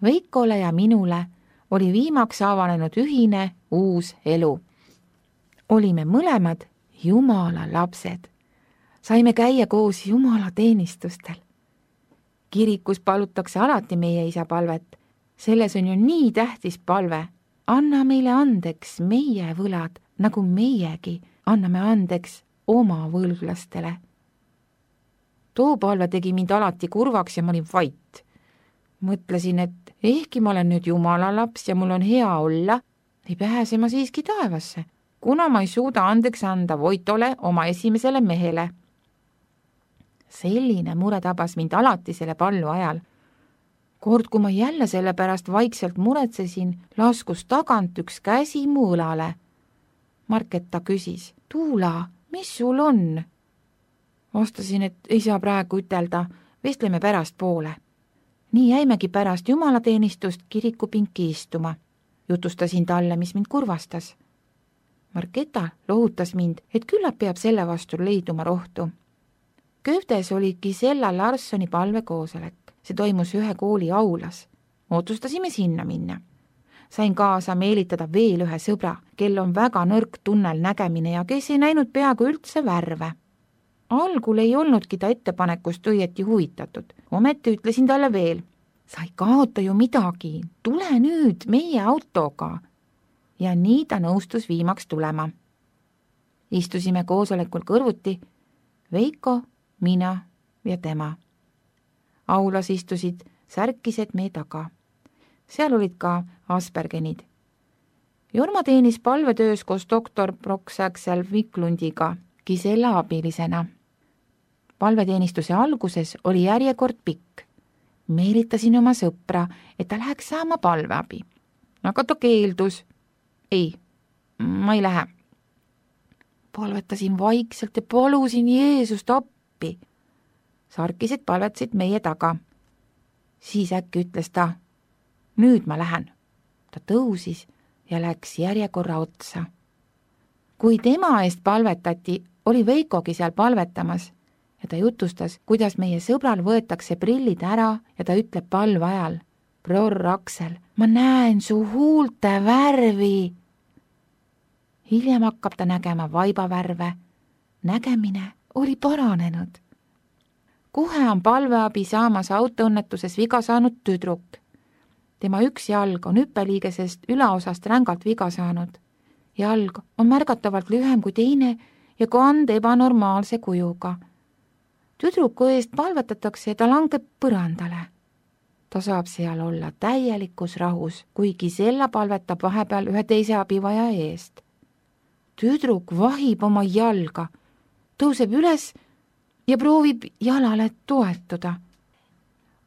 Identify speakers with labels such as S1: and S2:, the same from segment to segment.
S1: Veikole ja minule oli viimaks avanenud ühine uus elu. Olime mõlemad Jumala lapsed. Saime käia koos Jumala teenistustel. Kirikus palutakse alati meie isa palvet. Selles on ju nii tähtis palve. Anna meile andeks meie võlad, nagu meiegi anname andeks oma võlglastele. Too palve tegi mind alati kurvaks ja ma olin vait. Mõtlesin, et ehkki ma olen nüüd Jumala laps ja mul on hea olla, ei pääse ma siiski taevasse, kuna ma ei suuda andeks anda Voitole oma esimesele mehele. Selline mure tabas mind alati selle pallu ajal. Kord, kui ma jälle selle pärast vaikselt muretsesin, laskus tagant üks käsi mu õlale. Marketa küsis, Tuula, mis sul on? Vastasin, et ei saa praegu ütelda, vestleme pärast poole. Nii jäimegi pärast jumalateenistust kirikupinki istuma. Jutustasin talle, mis mind kurvastas. Marketa lohutas mind, et küllap peab selle vastu leiduma rohtu. Kööftes oli Gisella Larssoni palvekoosolek. See toimus ühe kooli aulas. Otsustasime sinna minna. Sain kaasa meelitada veel ühe sõbra, kel on väga nõrk tunnel nägemine ja kes ei näinud peaaegu üldse värve. Algul ei olnudki ta ettepanekust õieti huvitatud. Ometi ütlesin talle veel, sa ei kaota ju midagi, tule nüüd meie autoga. Ja nii ta nõustus viimaks tulema. Istusime koosolekul kõrvuti, Veiko, mina ja tema. Aulas istusid särkised meie taga. Seal olid ka Aspergenid. Jorma teenis palvetöös koos doktor Brock-Saxel Viklundiga, Gisella abilisena. Palveteenistuse alguses oli järjekord pikk. Meelitasin oma sõpra, et ta läheks saama palveabi. Aga ta keeldus. Ei, ma ei lähe. Palvetasin vaikselt ja palusin Jeesust appi. Sarkised palvetasid meie taga. Siis äkki ütles ta, nüüd ma lähen. Ta tõusis ja läks järjekorra otsa. Kui tema eest palvetati, oli Veikogi seal palvetamas ja ta jutustas, kuidas meie sõbral võetakse prillid ära ja ta ütleb palve ajal, Bror Aksel, ma näen su huulte värvi. Hiljem hakkab ta nägema vaibavärve. Nägemine oli paranenud. Kohe on palveabi saamas autoõnnetuses viga saanud tüdruk. Tema üks jalg on hüppeliigesest ülaosast rängalt viga saanud. Jalg on märgatavalt lühem kui teine ja kand ebanormaalse kujuga. Tüdruku eest palvetatakse ja ta langeb põrandale. Ta saab seal olla täielikus rahus, kuigi Gisella palvetab vahepeal ühe teise abivaja eest. Tüdruk vahib oma jalga, tõuseb üles ja proovib jalale toetuda.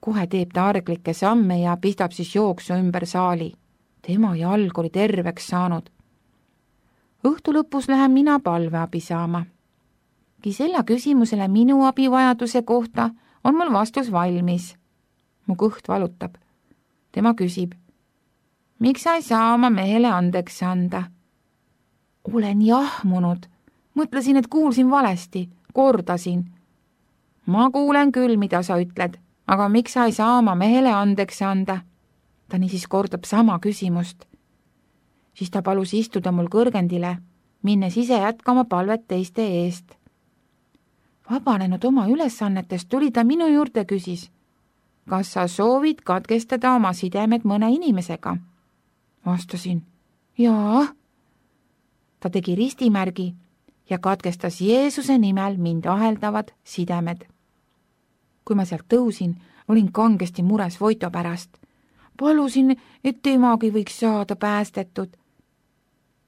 S1: Kohe teeb ta arglikke samme ja pistab siis jooksu ümber saali. Tema jalg oli terveks saanud. Õhtu lõpus lähen mina palveabi saama. Gisella küsimusele minu abivajaduse kohta on mul vastus valmis. Mu kõht valutab. Tema küsib, miks sa ei saa oma mehele andeks anda? Olen jahmunud. Mõtlesin, et kuulsin valesti. Kordasin. Ma kuulen küll, mida sa ütled, aga miks sa ei saa oma mehele andeks anda? Ta niisiis kordab sama küsimust. Siis ta palus istuda mul kõrgendile, minnes ise jätkama palvet teiste eest. Vabanenud oma ülesannetest tuli ta minu juurde küsis, kas sa soovid katkestada oma sidemed mõne inimesega? Vastasin, jaa. Ta tegi ristimärgi ja katkestas Jeesuse nimel mind aheldavad sidemed. Kui ma sealt tõusin, olin kangesti mures Voito pärast. Palusin, et temagi võiks saada päästetud.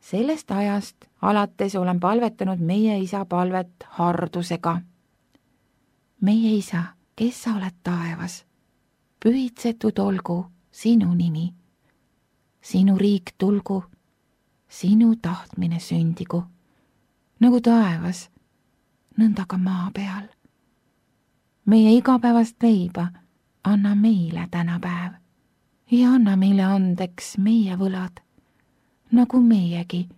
S1: Sellest ajast alates olen palvetanud meie isa palvet hardusega. Meie isa, kes sa oled taevas, pühitsetud olgu sinu nimi. Sinu riik tulgu, sinu tahtmine sündigu, nagu taevas, nõnda ka maa peal. Meie igapäevast leiba anna meile tänapäev ja anna meile andeks meie võlad, nagu meiegi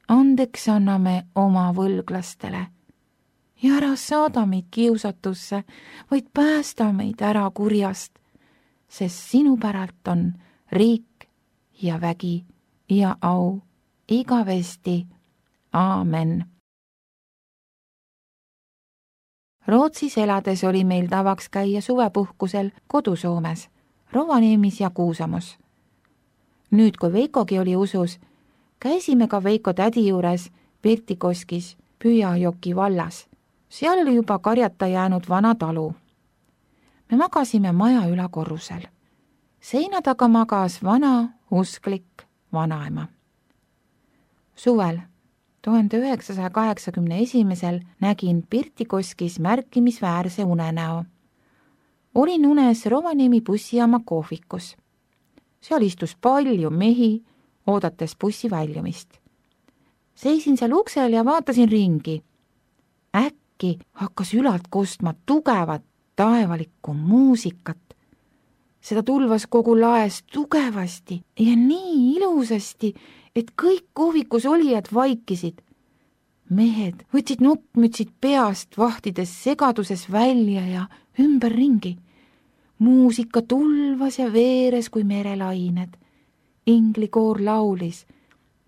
S1: andeks anname oma võlglastele. Ja ära saada meid kiusatusse, vaid päästa meid ära kurjast, sest sinu päralt on riik ja vägi ja au igavesti. Aamen. Rootsis elades oli meil tavaks käia suvepuhkusel kodusoomes, Rovaniemis ja Kuusamus. Nüüd, kui Veikogi oli usus, käisime ka Veiko tädi juures Pirtikoskis, Pühajoki vallas. Seal oli juba karjata jäänud vana talu. Me magasime maja ülakorrusel. Seina taga magas vana, usklik vanaema. Suvel 1981 nägin Pirtikoskis märkimisväärse unenäo. Olin unes Rovaniemi bussijaama kohvikus. Seal istus palju mehi, oodates bussi väljumist. Seisin seal uksel ja vaatasin ringi. Äkki hakkas ülalt kostma tugevat taevalikku muusikat. Seda tulvas kogu laes tugevasti ja nii ilusasti, et kõik kohvikus olijad vaikisid. Mehed võtsid noppmütsid peast, vahtides segaduses välja ja ümberringi. Muusika tulvas ja veeres kui merelained. Inglikoor laulis: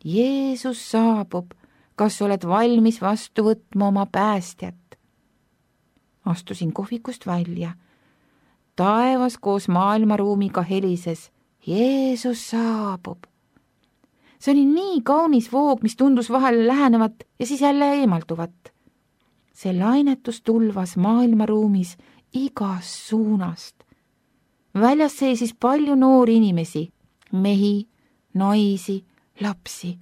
S1: Jeesus saabub, kas oled valmis vastu võtma oma päästjat? Astusin kohvikust välja. Taevas koos maailmaruumiga helises: Jeesus saabub. See oli nii kaunis voog, mis tundus vahel lähenevat ja siis jälle eemalduvat. See lainetus tulvas maailmaruumis igast suunast. Väljas seisis palju noori inimesi, mehi, naisi, lapsi.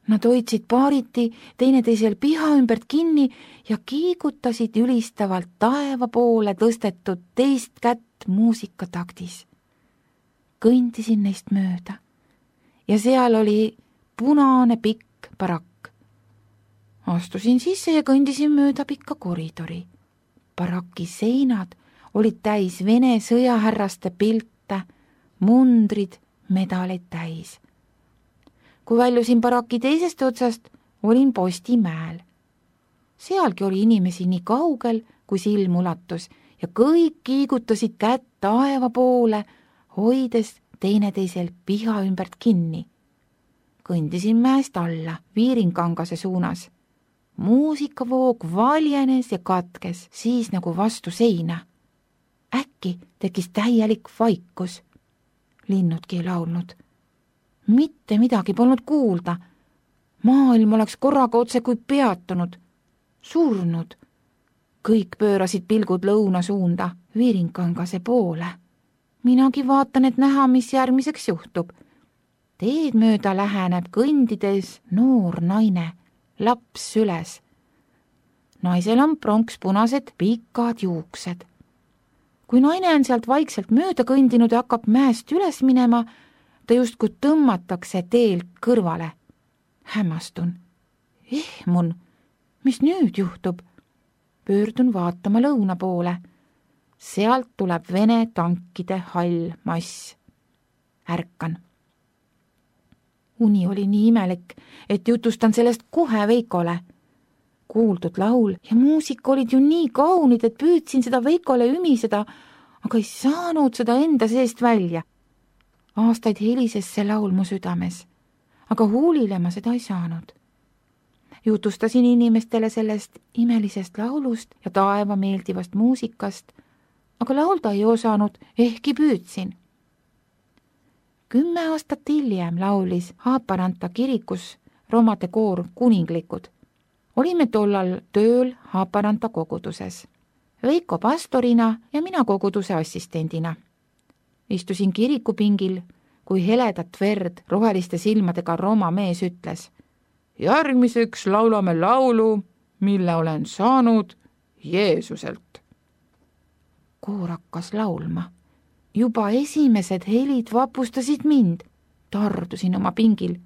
S1: Nad hoidsid paariti teineteisel piha ümbert kinni ja kiigutasid ülistavalt taeva poole tõstetud teist kätt muusikataktis. Kõndisin neist mööda ja seal oli punane pikk barakk. Astusin sisse ja kõndisin mööda pikka koridori. Baraki seinad olid täis Vene sõjahärraste pilte, mundrid, medaleid täis. Kui väljusin baraki teisest otsast, olin Postimäel. Sealgi oli inimesi nii kaugel, kui silm ulatus ja kõik kiigutasid kätt taeva poole, hoides teineteisel piha ümbert kinni. Kõndisin mäest alla, Viirinkangase suunas. Muusikavoog valjenes ja katkes, siis nagu vastu seina. Äkki tekkis täielik vaikus. Linnudki ei laulnud. Mitte midagi polnud kuulda. Maailm oleks korraga otse kui peatunud, surnud. Kõik pöörasid pilgud lõuna suunda, Viirinkangase poole. Minagi vaatan, et näha, mis järgmiseks juhtub. Teed mööda läheneb kõndides noor naine, laps süles. Naisel on pronkspunased pikad juuksed. Kui naine on sealt vaikselt mööda kõndinud ja hakkab mäest üles minema, ta justkui tõmmatakse teelt kõrvale. Hämmastun. Ehmun, mis nüüd juhtub? Pöördun vaatama lõuna poole. Sealt tuleb Vene tankide hall mass. Ärkan. Uni oli nii imelik, et jutustan sellest kohe Veikole. Kuuldud laul ja muusika olid ju nii kaunid, et püüdsin seda Veikole ümiseda, aga ei saanud seda enda seest välja. Aastaid helises see laul mu südames, aga huulile ma seda ei saanud. Jutustasin inimestele sellest imelisest laulust ja taeva meeldivast muusikast, aga laulda ei osanud, ehkki püüdsin. 10 aastat hiljem laulis Haaparanta kirikus romade koor Kuninglikud. Olime tollal tööl Haaparanta koguduses. Veiko pastorina ja mina koguduse assistendina. Istusin kirikupingil, kui heledat verd roheliste silmadega Roma mees ütles: järgmiseks laulame laulu, mille olen saanud Jeesuselt. Koor hakkas laulma. Juba esimesed helid vapustasid mind. Tardusin oma pingil.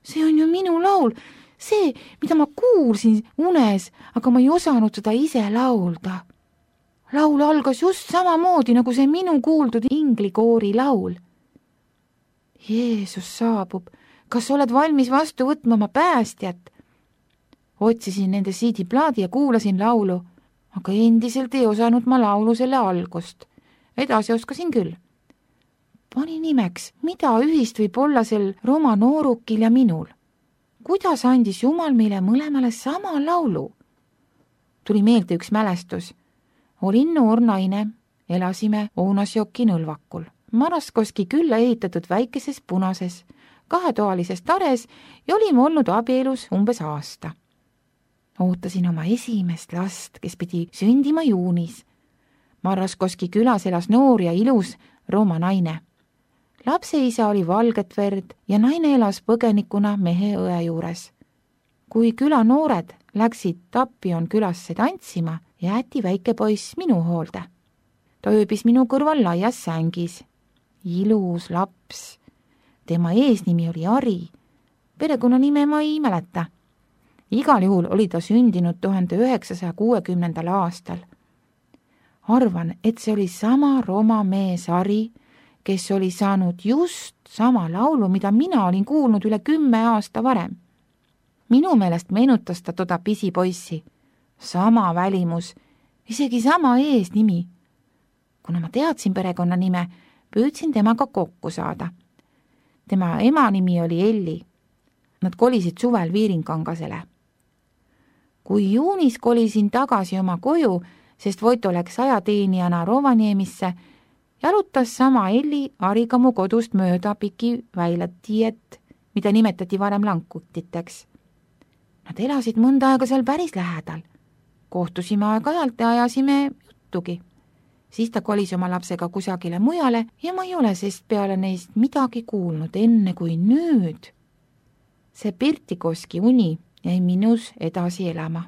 S1: See on ju minu laul, see, mida ma kuulsin unes, aga ma ei osanud seda ise laulda. Laul algas just samamoodi, nagu see minu kuuldud inglikoori laul. Jeesus saabub, kas oled valmis vastu võtma oma päästjat? Otsisin nende CD-plaadi ja kuulasin laulu, aga endiselt ei osanud ma laulu selle algust. Edasi oskasin küll. Pani nimeks, mida ühist võib olla sel Roma noorukil ja minul. Kuidas andis Jumal meile mõlemale sama laulu? Tuli meelde üks mälestus. Olin noor naine, elasime Ounasjoki nõlvakul. Maraskoski külla ehitatud väikeses punases, 2-toalises tares ja olime olnud abielus umbes aasta. Ootasin oma esimest last, kes pidi sündima juunis. Maraskoski külas elas noor ja ilus Rooma naine. Lapse isa oli valget verd ja naine elas põgenikuna mehe õe juures. Kui küla noored läksid Tapion külasse tantsima, jäeti väike poiss minu hoolde. Ta ööbis minu kõrval laias sängis. Ilus laps. Tema eesnimi oli Ari. Perekonnanime ma ei mäleta. Igal juhul oli ta sündinud 1960. aastal. Arvan, et see oli sama Roma mees Ari, kes oli saanud just sama laulu, mida mina olin kuulnud üle 10 aasta varem. Minu meelest meenutas ta toda pisipoissi. Sama välimus, isegi sama eesnimi. Kuna ma teadsin perekonnanime, püüdsin temaga kokku saada. Tema ema nimi oli Elli. Nad kolisid suvel Viirinkangasele. Kui juunis kolisin tagasi oma koju, sest Voito läks ajateenijana Rovaniemisse, jalutas sama Elli Ariga mu kodust mööda piki väilatiiet, mida nimetati varem lankutiteks. Nad elasid mõnda aega seal päris lähedal. Kohtusime aeg-ajalt ja ajasime juttugi. Siis ta kolis oma lapsega kusagile mujale ja ma ei ole sest peale neist midagi kuulnud enne kui nüüd. See Pirtikoski uni jäi minus edasi elama.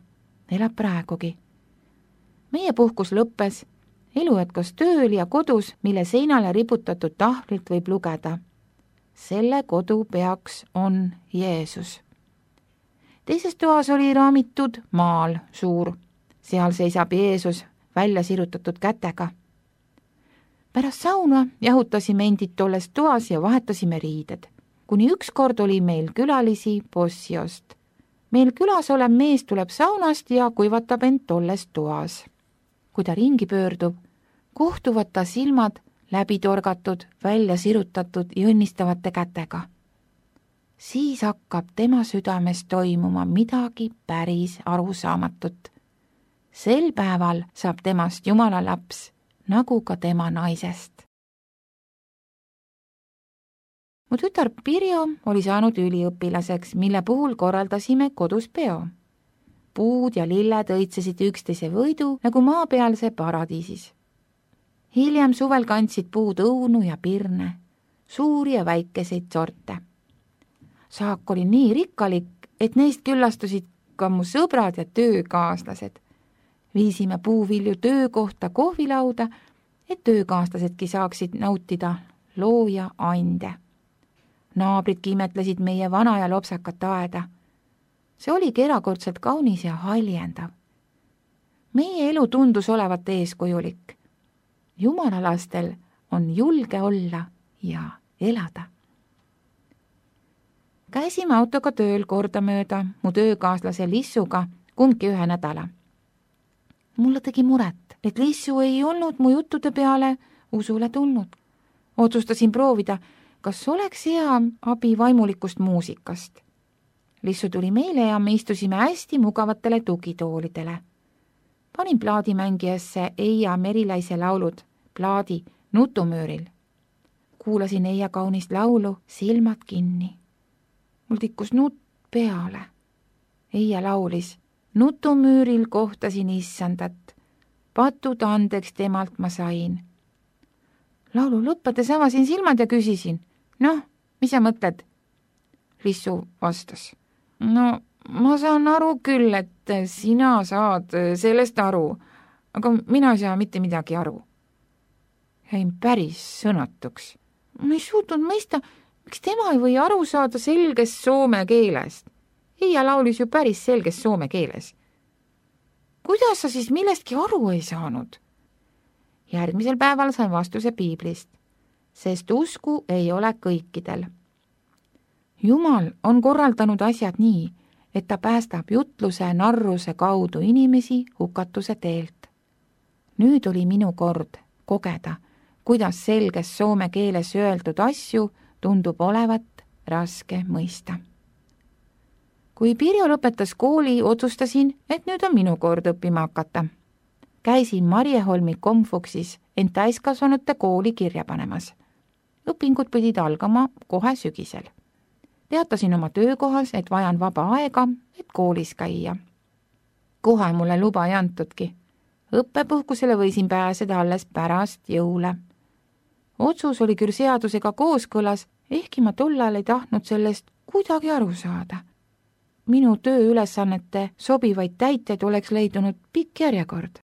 S1: Elab praegugi. Meie puhkus lõppes. Elu jätkas tööl ja kodus, mille seinale riputatud tahvlilt võib lugeda. Selle kodu peaks on Jeesus. Teises toas oli raamitud maal suur. Seal seisab Jeesus välja sirutatud kätega. Pärast sauna jahutasime endid tolles toas ja vahetasime riided. Kuni ükskord oli meil külalisi Possiost. Meil külas olev mees tuleb saunast ja kuivatab end tolles toas. Kui ta ringi pöördub, kohtuvad ta silmad läbi torgatud, välja sirutatud ja õnnistavate kätega. Siis hakkab tema südames toimuma midagi päris arusaamatut. Sel päeval saab temast Jumala laps, nagu ka tema naisest. Mu tütar Pirjo oli saanud üliõpilaseks, mille puhul korraldasime kodus peo. Puud ja lilled õitsesid üksteise võidu nagu maapealse paradiisis. Hiljem suvel kandsid puud õunu ja pirne, suuri ja väikeseid sorte. Saak oli nii rikkalik, et neist küllastusid ka mu sõbrad ja töökaaslased. Viisime puuvilju töökohta kohvilauda, et töökaaslasedki saaksid nautida looja ande. Naabridki imetlesid meie vana ja lopsakat aeda. See oligi erakordselt kaunis ja haljendav. Meie elu tundus olevat eeskujulik. Jumala lastel on julge olla ja elada. Käisime autoga tööl kordamööda mu töökaaslase Lissuga kumbki 1 nädala. Mulle tegi muret, et Lissu ei olnud mu juttude peale usule tulnud. Otsustasin proovida, kas oleks hea abi vaimulikust muusikast. Lissu tuli meile ja me istusime hästi mugavatele tugitoolidele. Panin plaadimängijasse Eija Merilaise laulud, plaadi Nutumüüril. Kuulasin Eija kaunist laulu, silmad kinni. Mul tikkus nutt peale. Eija laulis, Nutumüüril kohtasin issandat. Patud andeks temalt ma sain. Laulu lõppedes avasin silmad ja küsisin, noh, mis sa mõtled? Lissu vastas, no ma saan aru küll, et sina saad sellest aru, aga mina ei saa mitte midagi aru. Jäin päris sõnatuks. Ma ei suutnud mõista, miks tema ei või aru saada selgest soome keelest. Eija laulis ju päris selges soome keeles. Kuidas sa siis millestki aru ei saanud? Järgmisel päeval sain vastuse piiblist, sest usku ei ole kõikidel. Jumal on korraldanud asjad nii, et ta päästab jutluse narruse kaudu inimesi hukatuse teelt. Nüüd oli minu kord kogeda, kuidas selges soome keeles öeldud asju tundub olevat raske mõista. Kui Pirjo lõpetas kooli, otsustasin, et nüüd on minu kord õppima hakata. Käisin Marjeholmi Komfuksis end täiskasvanute kooli kirja panemas. Õpingud pidid algama kohe sügisel. Teatasin oma töökohas, et vajan vaba aega, et koolis käia. Kohe mulle luba ei antudki. Õppepuhkusele võisin pääseda alles pärast jõule. Otsus oli küll seadusega kooskõlas, ehkki ma tollal ei tahtnud sellest kuidagi aru saada. Minu tööülesannete sobivaid täiteid oleks leidunud pikk järjekord.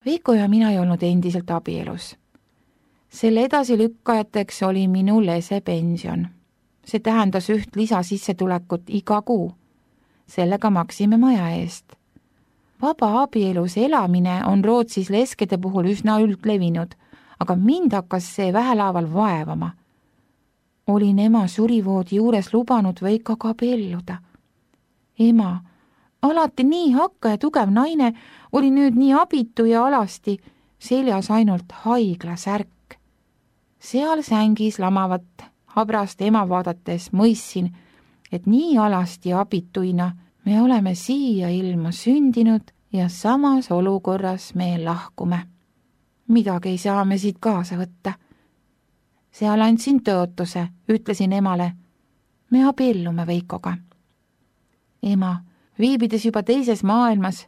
S1: Veiko ja mina ei olnud endiselt abielus. Selle edasilükkajateks oli minu lesepension. See tähendas üht lisasissetulekut iga kuu. Sellega maksime maja eest. Vaba abielus elamine on Rootsis leskede puhul üsna üldlevinud, aga mind hakkas see vähelaaval vaevama. Olin ema surivoodi juures lubanud Veikoga abielluda. Ema, alati nii hakka ja tugev naine, oli nüüd nii abitu ja alasti, seljas ainult haiglasärk. Seal sängis lamavat habrast ema vaadates mõistsin, et nii alasti ja abituina me oleme siia ilma sündinud ja samas olukorras me lahkume. Midagi ei saa me siit kaasa võtta. Seal andsin tõotuse, ütlesin emale, me abiellume Veikoga. Ema, viibides juba teises maailmas,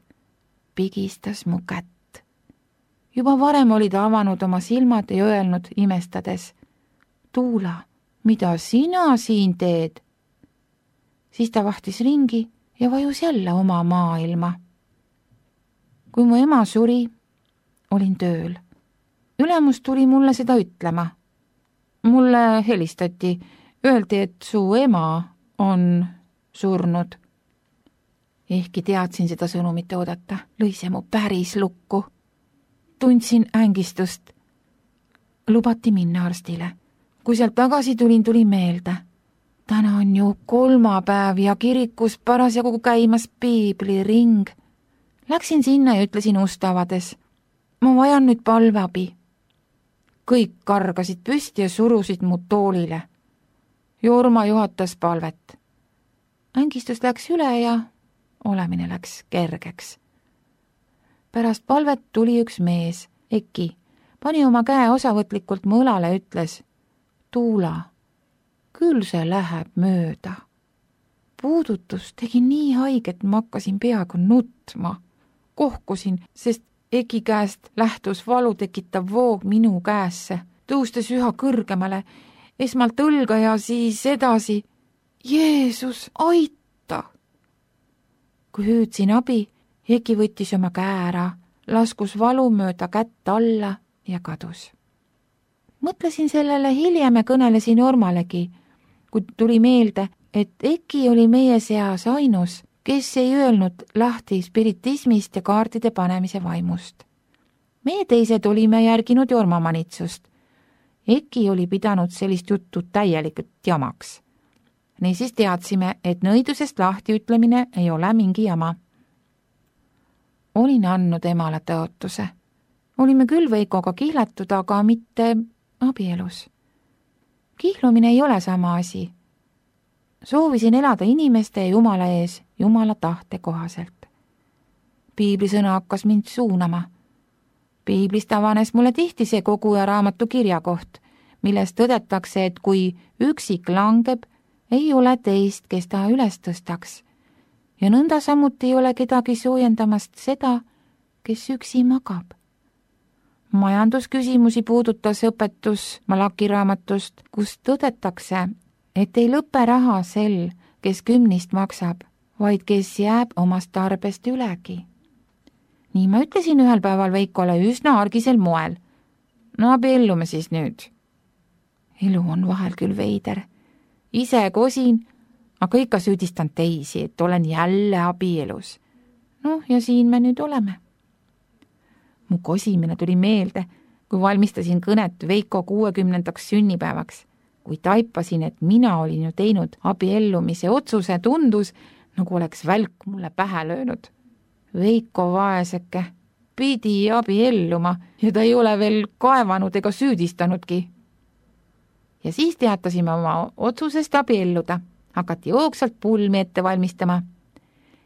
S1: pigistas mu kätt. Juba varem oli ta avanud oma silmad ja öelnud imestades, Tuula, mida sina siin teed? Siis ta vahtis ringi ja vajus jälle oma maailma. Kui mu ema suri, olin tööl. Ülemus tuli mulle seda ütlema. Mulle helistati, öeldi, et su ema on surnud. Ehkki teadsin seda sõnumit oodata, lõi see mu päris lukku. Tundsin ängistust. Lubati minna arstile. Kui sealt tagasi tuli meelde. Täna on ju kolmapäev ja kirikus parasjagu käimas piibliring. Läksin sinna ja ütlesin ust avades. Ma vajan nüüd palveabi. Kõik kargasid püsti ja surusid mu toolile. Jorma juhatas palvet. Ängistus läks üle ja olemine läks kergeks. Pärast palvet tuli üks mees, Eki, pani oma käe osavõtlikult mu õlale ja ütles, Tuula, küll see läheb mööda. Puudutus tegi nii haiget, ma hakkasin peaaegu nutma. Kohkusin, sest Eki käest lähtus valu tekitav voog minu käesse, tõustes üha kõrgemale, esmalt õlga ja siis edasi. Jeesus, aita! Kui hüüdsin abi, Eki võttis oma käe ära, laskus valu mööda kätt alla ja kadus. Mõtlesin sellele hiljem ja kõnelesin Jormalegi, kui tuli meelde, et Eki oli meie seas ainus, kes ei öelnud lahti spiritismist ja kaardide panemise vaimust. Meie teised olime järginud Jorma manitsust. Eki oli pidanud sellist juttu täielikult jamaks. Niisiis teadsime, et nõidusest lahti ütlemine ei ole mingi jama. Olin andnud emale tõotuse. Olime küll Veikoga kihlatud, aga mitte abielus. Kihlumine ei ole sama asi. Soovisin elada inimeste ja Jumala ees, Jumala tahte kohaselt. Piiblisõna hakkas mind suunama. Piiblist avanes mulle tihti see kogu ja raamatu kirjakoht, milles tõdetakse, et kui üksik langeb, ei ole teist, kes ta üles tõstaks. Ja nõnda samuti ei ole kedagi soojendamast seda, kes üksi magab. Majandusküsimusi puudutas õpetus Malaki raamatust, kus tõdetakse, et ei lõpe raha sel, kes kümnist maksab, vaid kes jääb omast tarbest ülegi. Nii ma ütlesin ühel päeval Veikole üsna argisel moel. No abiellume siis nüüd. Elu on vahel küll veider. Ise kosin, aga ikka süüdistan teisi, et olen jälle abielus. No ja siin me nüüd oleme. Mu kosimine tuli meelde, kui valmistasin kõnet Veiko 60. sünnipäevaks. Kui taipasin, et mina olin ju teinud abiellumise otsuse, tundus, nagu oleks välk mulle pähe löönud. Veiko vaeseke, pidi abielluma ja ta ei ole veel kaevanud ega süüdistanudki. Ja siis teatasime oma otsusest abielluda. Hakati jooksvalt pulmi ette valmistama.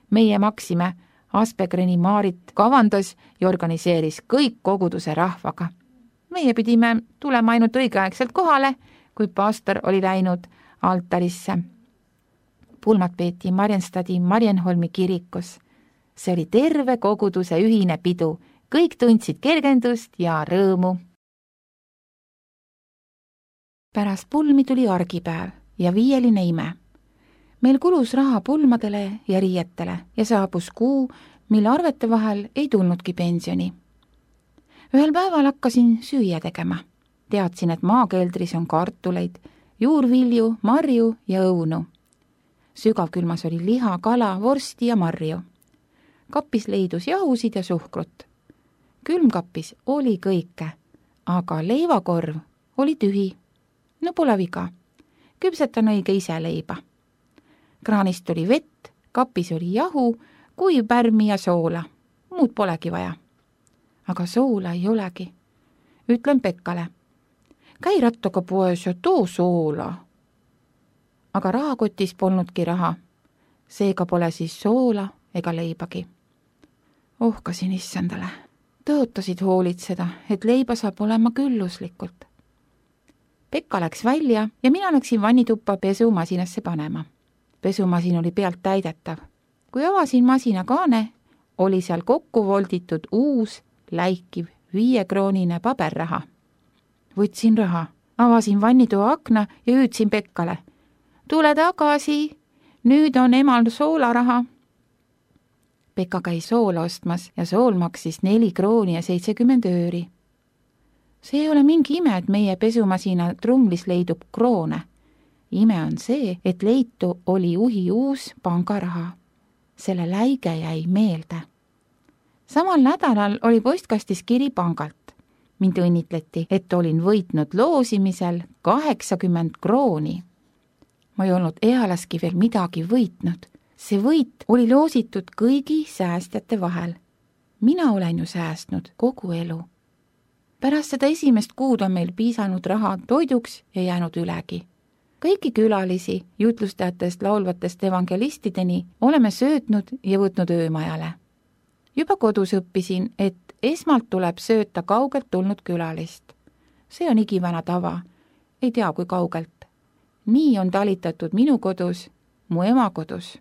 S1: Meie maksime, Aspegreni Maarit kavandas ja organiseeris kõik koguduse rahvaga. Meie pidime tulema ainult õigeaegselt kohale, kui pastor oli läinud altarisse. Pulmad peeti Marienstadi Marienholmi kirikus. See oli terve koguduse ühine pidu. Kõik tundsid kergendust ja rõõmu. Pärast pulmi tuli argipäev ja viieline ime. Meil kulus raha pulmadele ja riietele ja saabus kuu, mille arvete vahel ei tulnudki pensioni. Ühel päeval hakkasin süüa tegema. Teadsin, et maakeldris on kartuleid, juurvilju, marju ja õunu. Sügavkülmas oli liha, kala, vorsti ja marju. Kapis leidus jahusid ja suhkrut. Külmkapis oli kõike, aga leivakorv oli tühi. No pole viga. Küpsetan õige ise leiba. Kraanist oli vett, kapis oli jahu, kuiv pärmi ja soola. Muud polegi vaja. Aga soola ei olegi. Ütlen Pekkale. Käi rattaga poes ja too soola. Aga rahakotis polnudki raha. Seega pole siis soola ega leibagi. Ohkasin issandale. Tõotasid hoolitseda, et leiba saab olema külluslikult. Pekka läks välja ja mina läksin vannituppa pesumasinasse panema. Pesumasin oli pealt täidetav. Kui avasin masina kaane, oli seal kokku volditud uus, läikiv 5-kroonine paberraha. Võtsin raha, avasin vannitoa akna ja hüüdsin Pekkale. Tule tagasi, nüüd on emal soolaraha. Pekka käis soola ostmas ja sool maksis 4 krooni ja 70 ööri. See ei ole mingi ime, et meie pesumasina trumlis leidub kroone. Ime on see, et leitu oli juhi uus pangaraha. Selle läige jäi meelde. Samal nädalal oli postkastis kiri pangalt. Mind õnnitleti, et olin võitnud loosimisel 80 krooni. Ma ei olnud ealaski veel midagi võitnud. See võit oli loositud kõigi säästjate vahel. Mina olen ju säästnud kogu elu. Pärast seda esimest kuud on meil piisanud raha toiduks ja jäänud ülegi. Kõiki külalisi, jutlustajatest laulvatest evangelistideni oleme söötnud ja võtnud öömajale. Juba kodus õppisin, et esmalt tuleb sööta kaugelt tulnud külalist. See on igivana tava. Ei tea, kui kaugelt. Nii on talitatud minu kodus, mu ema kodus.